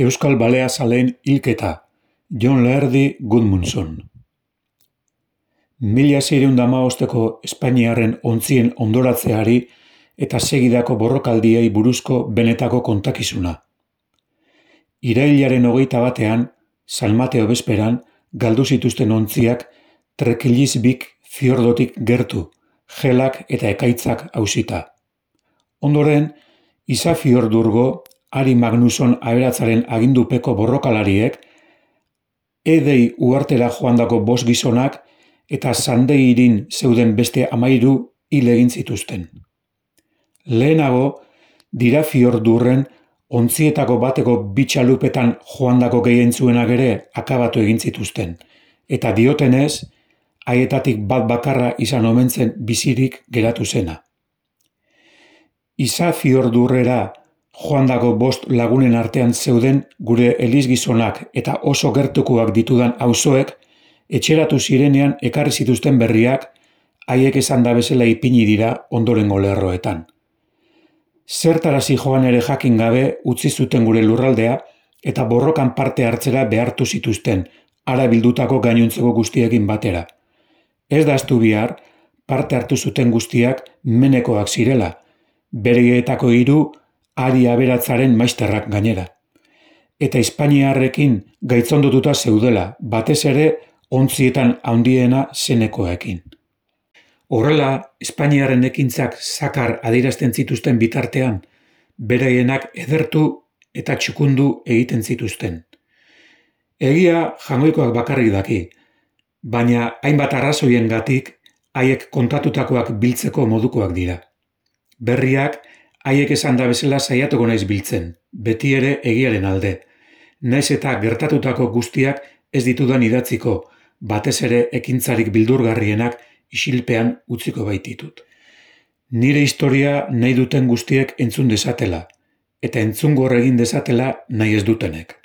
Euskal Baleazaleen hilketa, Jon Laerdi Gudmundsson. 1615ko Espainiarren ontzien ondoratzeari eta segidako borrokaldiei buruzko benetako kontakizuna. Irailaren 21ean, San Mateo bezperan, galdu zituzten ontziak Trekillisvik fiordotik gertu, gelak eta ekaitzak hausita. Ondoren, Isafjordurgo Ari Magnusson aberatzaren agindupeko borrokalariek, Edei uhartera joandako 5 gizonak eta Sandeirin zeuden beste 13 hil egin zituzten. Lehenago, Dirafjordurren ontzietako bateko 2 txalupetan joandako gehientzuenak ere akabatu egin zituzten, eta diotenez, haietatik bat bakarra izan omen zen bizirik geratu zena. Isafjordurrera joandako 5 lagunen artean zeuden gure elizgizonak eta oso gertukoak ditudan auzoek etxeratu zirenean ekarri zituzten berriak, haiek esan da bezala ipini dira ondorengo lerroetan. Zertarazi joan ere jakin gabe utzi zuten gure lurraldea eta borrokan parte hartzera behartu zituzten, hara bildutako gainontzeko guztiekin batera. Ez da ahaztu behar, parte hartu zuten guztiak menekoak zirela, bereetako 3 Ari aberatzaren maisterrak gainera. Eta Espainiarrekin gaitzondotuta zeudela, batez ere ontzietan handiena zenekoekin. Horrela, Espainiarren ekintzak zakar adierazten zituzten bitartean, beraienak edertu eta txukundu egiten zituzten. Egia jangoikoak bakarrik daki, baina hainbat arrazoiengatik haiek kontatutakoak biltzeko modukoak dira. Berriak haiek esan da bezala saiatuko naiz biltzen, beti ere egiaren alde. Naiz eta gertatutako guztiak ez ditudan idatziko, batez ere ekintzarik bildurgarrienak isilpean utziko baititut. Nire historia nahi duten guztiek entzun dezatela, eta entzungor egin dezatela nahi ez dutenek.